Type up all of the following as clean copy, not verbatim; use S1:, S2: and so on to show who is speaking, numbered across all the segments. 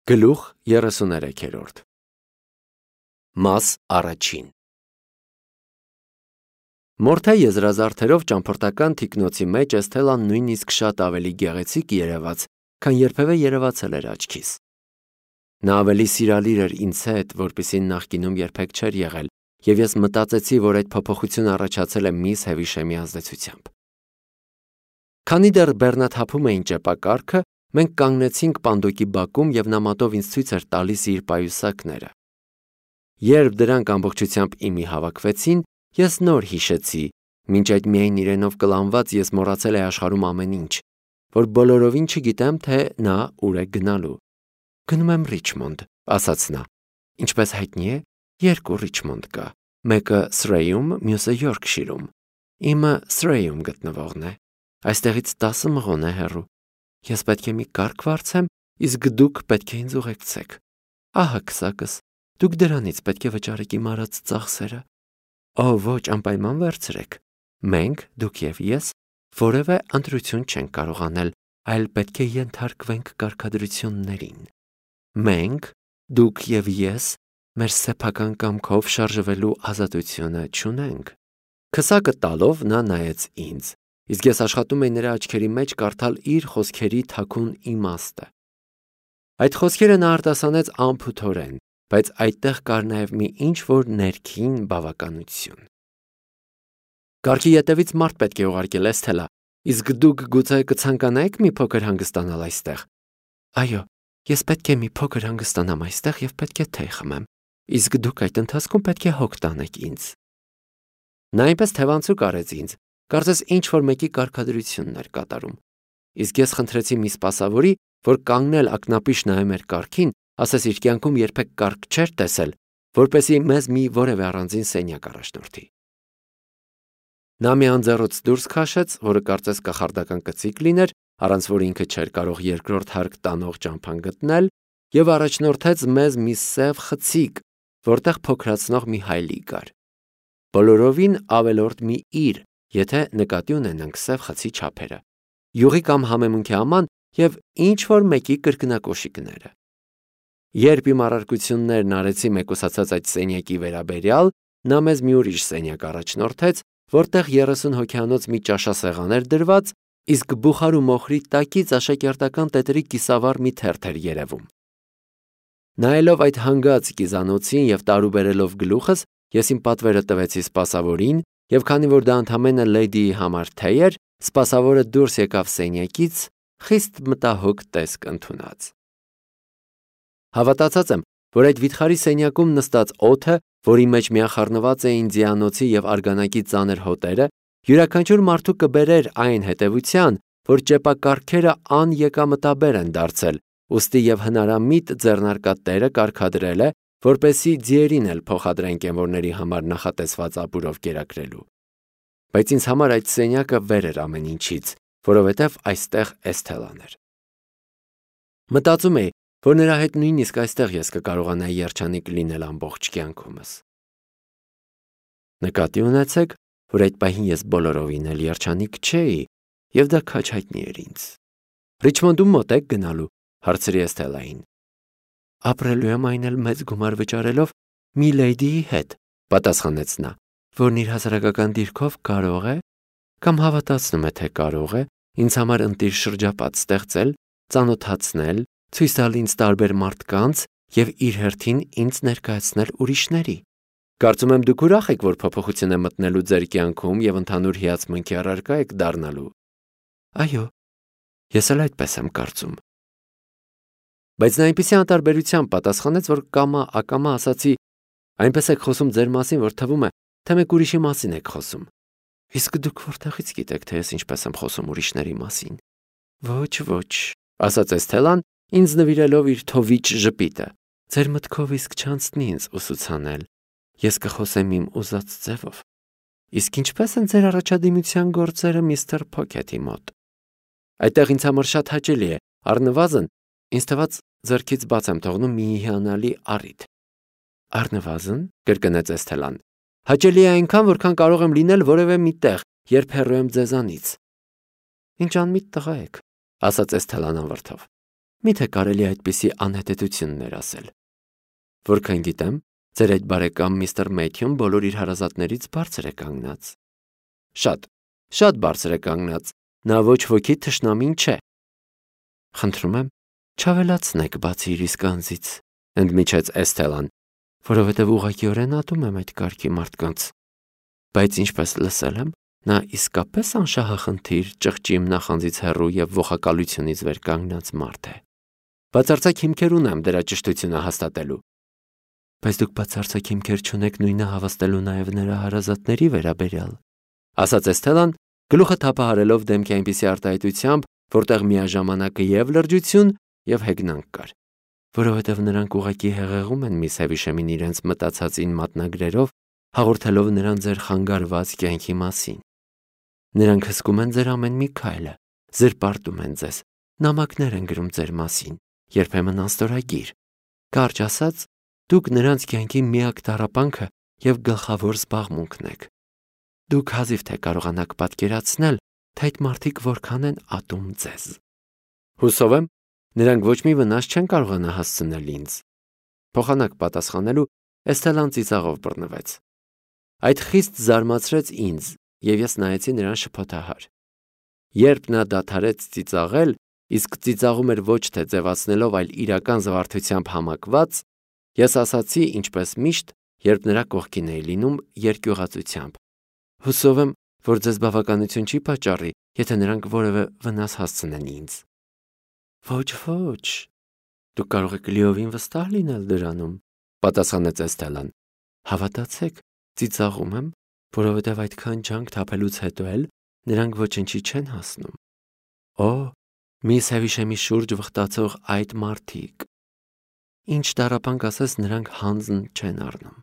S1: Գլուխ 33 Մաս առաջին Մորթե եզրազարդերով ճամփորդական թիկնոցի մեջ Էսթելան նույնիսկ շատ ավելի գեղեցիկ երևաց, քան երբևէ երևացել էր աչքիս։ Նա ավելի սիրալիր էր ինձ հետ, որպեսզի նախկինում երբեք չէր եղել, եւ ես մտածեցի, որ այդ փոփոխությունը առաջացել է միս Հևիշեմի ազդեցությամբ։ Քանի դեռ բեռնաթափում էին ճեպակառքը, մենք կանգնեցինք պանդոկի բակում եւ նա մատով ինձ ցույց էր տալիս իր պայուսակները։ Երբ դրանք ամբողջությամբ իմի հավաքվեցին, ես նոր հիշեցի, մինչ այդ միայն իրենով կլանված ես մոռացել էի աշխարհում ամեն ինչ, որ բոլորովին չգիտեմ, թե նա ուր է գնալու։ Գնում եմ Ռիչմոնդ, ասաց նա։ Ինչպես հայտնի է, երկու Ռիչմոնդ կա, մեկը Սրեյում, մյուսը Յորքշիրում։ Իմը Սրեյում գտնվողն է։ Այստեղից 10 մղոն է հեռու։ Ես պետք է մի կառք վարձեմ, իսկ դուք պետք է ինձ ուղեկցեք։ Ահա քսակս, դուք դրանից պետք է վճարեք իմ արած ծախսերը։ Օ, ոչ, անպայման վերցրեք։ Մենք, դուք եւ ես, որևէ ընտրություն չենք կարող անել, այլ պետք է ենթարկվենք կարգադրություններին։ Մենք, դուք եւ ես, մեր սեփական կամքով շարժվելու ազատությունը չունենք։ Քսակը տալով նա նայեց ինձ, իսկ ես աշխատում էի նրա աչքերի մեջ կարդալ իր խոսքերի թաքուն իմաստը։ Այդ խոսքերը նա արտասանեց անփութորեն, բայց այդտեղ կար նաև մի ինչ-որ ներքին բավականություն։ Կառքի ետևից մարդ պետք է ուղարկել, Էսթելա, իսկ դուք գուցե կցանկանայիք մի փոքր հանգստանալ այստեղ։ Այո, ես պետք է մի փոքր հանգստանամ այստեղ եւ պետք է թեյ խմեմ, իսկ դուք այդ ընթացքում պետք է հոգ տանեք ինձ։ Նա այնպես թևանցուկ արեց ինձ, կարծես ինչ-որ մեկի կարգադրությունն էր կատարում։ Իսկ ես խնդրեցի մի սպասավորի, որ կանգնել ակնապիշ նայեմ մեր կառքին, ասես իր կյանքում երբեք կառք չէր տեսել, որպեսզի մեզ մի որևէ առանձին սենյակ առաջնորդի։ Նա մի անձեռոց դուրս քաշեց, որը կարծես կախարդական կծիկ լիներ, առանց որ ինքը չէր կարող երկրորդ հարկ տանող ճամփան գտնել, եւ առաջնորդեց մեզ մի սև խցիկ, որտեղ փոքրացնող մի հայլի կար։ Բոլորովին ավելորդ մի իր, եթե նկատի ունենանք սև խցի չափերը, յուղի կամ համեմունքի աման եւ ինչ որ մեկի կրկնակոշիկները։ Երբ իմ առարկություններն արեցի մեկուսացած այդ սենյակի վերաբերյալ, նա մեզ մի ուրիշ սենյակ առաջնորդեց, որտեղ 30 հոգյանոց մի ճաշասեղան էր դրված, իսկ բուխար ու մոխրի տակից աշակերտական տետրի կիսավառ մի թերթ էր երևում։ Նայելով այդ հանգած կիզանոցին եւ տարուբերելով գլուխս, ես իմ պատվերը տվեցի սպասավորին, եւ քանի որ դա ընդամենը լեդիի համար թեյ էր, սպասավորը դուրս եկավ սենյակից, խիստ մտահոգ տեսք ընդունած։ Հավատացած եմ, որ այդ վիթխարի սենյակում նստած օդը, որի մեջ միախառնված էին ձիանոցի եւ արգանակի ծանր հոտերը, յուրաքանչյուր մարդու կբերեր այն հետևության, որ ճեպակառքերը անեկամտաբեր են դարձել, ուստի եւ հնարամիտ ձեռնարկատերը կարգադրել է, որպեսի ձիերին էլ փոխադրեն կենվորների համար նախատեսված ապուրով կերակրելու։ Բայց ինձ համար այդ սենյակը վեր էր ամեն ինչից, որովհետև այստեղ Էսթելան էր։ Մտածում էի, որ նրա հետ նույնիսկ այստեղ ես կկարողանայի երջանիկ լինել ամբողջ կյանքումս։ Նկատի ունեցեք, որ այդ պահին ես բոլորովին էլ երջանիկ չէի, եւ դա քաջ հայտնի էր ինձ։ Ռիչմոնդում մոտ եք գնալու, հարցրի Էսթելային։ Ապրելու եմ այն էլ մեծ գումար վճարելով մի լեդիի հետ, պատասխանեց նա, որն իր հասարակական դիրքով կարող է, կամ հավատացնում է, թե կարող է, ինձ համար ընտիր շրջապատ ստեղծել, ծանոթացնել, ցույց տալ ինձ տարբեր մարդկանց եւ իր հերթին ինձ ներկայացնել ուրիշների։ Կարծում եմ դուք ուրախ եք, որ փոփոխություն է մտնելու ձեր կյանքում եւ ընդհանուր հիացմունքի առարկա եք դառնալու։ Այո, ես էլ այդպես եմ կարծում։ Բայց նա այնպեսի անտարբերությամբ պատասխանեց, որ կամա ասացի, այնպես եք խոսում ձեր մասին, որ թվում է, թե մեկ ուրիշի մասին եք խոսում։ Իսկ դուք որտեղից գիտեք, թե ես ինչպես եմ խոսում ուրիշների մասին։ Ոչ, ասաց Էսթելան, ինձ նվիրելով իր թովիչ ժպիտը։ Ձեր մտքով իսկ չանցնի ինձ ուսուցանել։ Ես կխոսեմ իմ ուզած ձևով։ Իսկ ինչպես են ձեր առաջադիմության գործերը միստր Փոքեթի մոտ։ Այդտեղ ինձ համար շատ հաճելի է, առնվազն ինձ թված ձեռքից բաց եմ թողնում մի հիանալի առիթ։ Առնվազն, կրկնեց Էսթելան, հաճելի է այնքան, որքան կարող եմ լինել որևէ մի տեղ, երբ հեռու եմ ձեզանից։ Ինչ անմիտ տղա եք, ասաց Էսթելան անվրդով։ Միթե կարելի է այդպիսի անհետեցություններ ասել։ Որքան գիտեմ, ձեր այդ բարեկամ միստր Մեթյուն բոլոր իր հարազատներից բարձր է կանգնած։ Շատ բարձր է կանգնած, նա ոչ ոքի թշնամին չէ։ Խնդրում եմ, չավելացնեք բացի իր իսկ անձից, ընդմիջեց Էսթելան, որովհետև ուղղակիորեն ատում եմ այդ կարգի մարդկանց։ Բայց ինչպես լսել եմ, նա իսկապես անշահախնդիր, ճղճիմ նախանձից հեռու և ողակալությունից վեր կանգնած մարդ է։ Բացարձակ հիմքեր ունեմ դրա ճշտությունը հաստատելու։ Բայց դուք բացարձակ հիմքեր չունեք նույնը հավաստելու նաև նրա հարազատների վերաբերյալ, ասաց Էսթելան, գլուխը թափահարելով դեմքի այնպիսի արտահայտությամբ, որտեղ միաժամանակ և լրջություն և հեգնանք կար, որովհետև նրանք ուղղակի հեղեղում են միս Հևիշեմին իրենց մտածածին մատնագրերով, հաղորդելով նրան ձեր խանգարված կյանքի մասին։ Նրանք հսկում են ձեր ամեն մի քայլը, զրպարտում են ձեզ, նամակներ են գրում ձեր մասին, երբեմն անստորագիր։ Կարճ ասած, դուք նրանց կյանքի միակ տառապանքը և գլխավոր զբաղմունքն եք։ Դուք հազիվ թե կարողանաք պատկերացնել, թե այդ մարդիկ որքան են ատում ձեզ։ Հուսով եմ, նրանք ոչ մի վնաս չեն կարողանա հասցնել ինձ։ Փոխանակ պատասխանելու Էսթելան ծիծաղով բռնվեց։ Այդ խիստ զարմացրեց ինձ, և ես նայեցի նրան շփոթահար։ Երբ նա դադարեց ծիծաղել, իսկ ծիծաղում էր ոչ թե ձևացնելով, այլ իրական զվարթությամբ համակված, ես ասացի, ինչպես միշտ, երբ նրա կողքին էի լինում, երկյուղածությամբ. Հուսով եմ, որ ձեզ բավականություն չի պատճառի, եթե նրանք որևէ վնաս հասցնեն ինձ։ Ոչ, դուք կարող եք լիովին վստահ լինել դրանում, պատասխանեց Էսթելան։ Հավատացեք, ծիծաղում եմ, որովհետև այդքան ջանք թափելուց հետո էլ նրանք ոչնչի չեն հասնում։ Օ, միս Հևիշեմի շուրջ վխտացող այդ մարդիկ։ Ինչ տառապանք ասես, նրանք հանձն չեն առնում։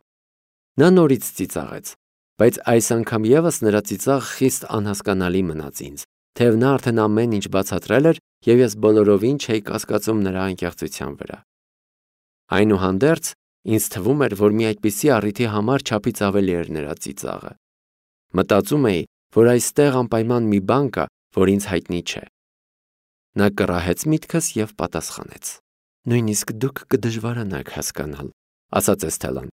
S1: Նա նորից ծիծաղեց, բայց այս անգամ ևս նրա ծիծաղ խիստ անհասկանալի մնաց ինձ, թեև նա արդեն ամեն ինչ բացատրել էր, և ես բոլորովին չէի կասկածում նրա անկեղծության վրա։ Այնուհանդերձ, ինձ թվում էր, որ մի այդպիսի առիթի համար չափից ավելի էր նրա ծիծաղը։ Մտածում էի, որ այստեղ անպայման մի բան կա, որ ինձ հայտնի չէ։ Նա կռահեց միտքս և պատասխանեց. Նույնիսկ դուք կդժվարանաք հասկանալ, ասաց Էսթելան,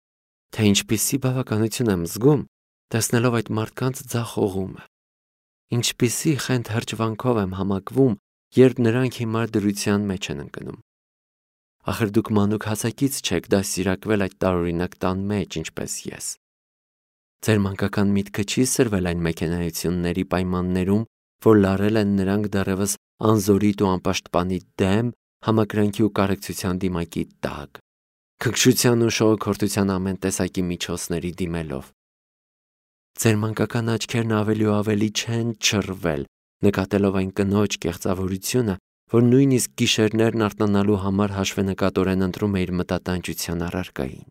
S1: թե ինչպիսի բավականություն եմ զգում, տեսնելով այդ մարդկանց ձախ օղումը։ Ինչպիսի խենթ հրճվանքով եմ համակվում, երբ նրանք հիմար դրության մեջ են ընկնում։ Ախր դուք մանուկ հասակից չեք դաստիարակվել այդ տարօրինակ տան մեջ, ինչպես ես։ Ձեր մանկական միտքը չի սրվել այն մեքենայությունների պայմաններում, որ լարել են նրանք դեռևս անզորիտ ու անպաշտպանի դեմ, համակրանքի ու կարեկցության դիմակի տակ, քնքշության ու շողոքորթության ամեն տեսակի միջոցների դիմելով։ Ձեր մանկական աչքերն ավելի ու ավելի չեն չռվել, նկատելով այն կնոջ կեղծավորությունը, որ նույնիսկ գիշերներն արթնանալու համար հաշվենկատորեն ընտրում է իր մտատանջության առարկային։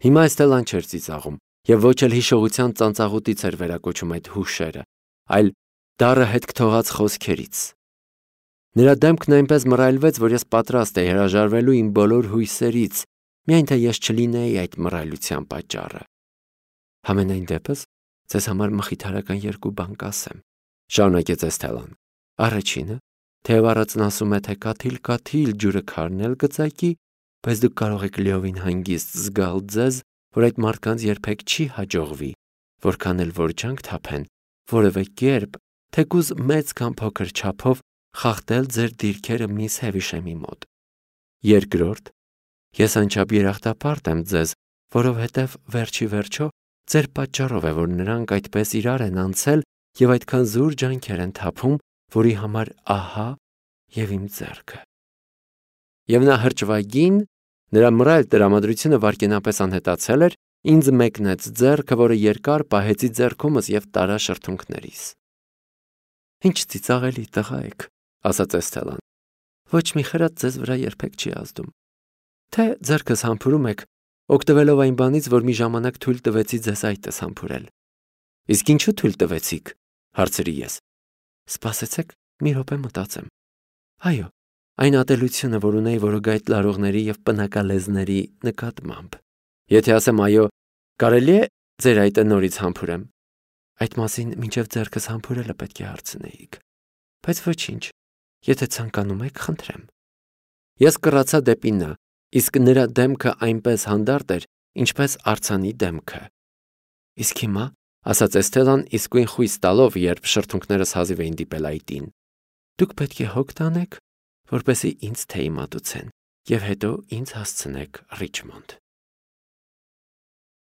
S1: Հիմա Էսթելան չէր ծիծաղում, և ոչ էլ հիշողության ծանծաղուտից էր վերակոչում այդ հուշերը, այլ դառը հետք թողած խոսքերից։ Նրա դեմքն այնպես մռայլվեց, որ ես պատրաստ էի հրաժարվելու իմ բոլոր հույսերից, միայն թե ես չլինեի այդ մռայլության պատճառը։ Համենայն դեպս, ձեզ համար մխիթարական երկու բան կասեմ, շարունակեց Էսթելան։ Առաջինը, թեև առածն ասում է, թե կաթիլ ջուրը քարնել կծակի, բայց դուք կարող եք լիովին հանգիստ զգալ ձեզ, որ այդ մարդկանց երբեք չի հաջողվի, որքան էլ որ ջանք թափեն, որևէ կերպ, թեկուզ մեծ կամ փոքր չափով խախտել ձեր դիրքերը միս Հևիշեմի մոտ։ Երկրորդ, ես անչափ երախտապարտ եմ ձեզ, որովհետև վերջի վերջո ձեր պատճառով է, որ նրանք այդպես իրար են անցել և այդքան զուր ջանքեր են թափում, որի համար ահա և իմ ձեռքը։ Եվ նա հրճվագին, նրա մռայլ տրամադրությունը վայրկենապես անհետացել էր, ինձ մեկնեց ձեռքը, որը երկար պահեցի ձեռքումս և տարա շրթունքներիս։ Ինչ ծիծաղելի տղա եք, ասաց Էսթելան։ Ոչ մի խրատ ձեզ վրա երբեք չի ազդում։ Թե ձեռքս համբուրում եք, օգտվելով այն բանից, որ մի ժամանակ թույլ տվեցի ձեզ այդպես համբուրել։ Իսկ ինչու թույլ տվեցիք, հարցրի ես։ Սպասեցեք, մի րոպե մտածեմ։ Այո, այն ատելությունը, որ ունեի որոգայթ լարողների և պնակալեզների նկատմամբ։ Եթե ասեմ այո, կարելի է ձեր այտը նորից համբուրեմ։ Այդ մասին մինչև ձեռքս համբուրելը պետք է հարցնեիք։ Բայց ոչինչ, եթե ցանկանում եք, խնդրեմ։ Ես կռացա դեպի նա, իսկ նրա դեմքը այնպես հանդարտ էր, ինչպես արձանի դեմքը։ Իսկ հիմա, ասաց Էսթելան իսկույն խույս տալով, երբ շրթունքներս հազիվ էին դիպել այտին, դուք պետք է հոգ տանեք, որպեսզի ինձ թեյ մատուցեն, և հետո ինձ հասցնեք Ռիչմոնդ։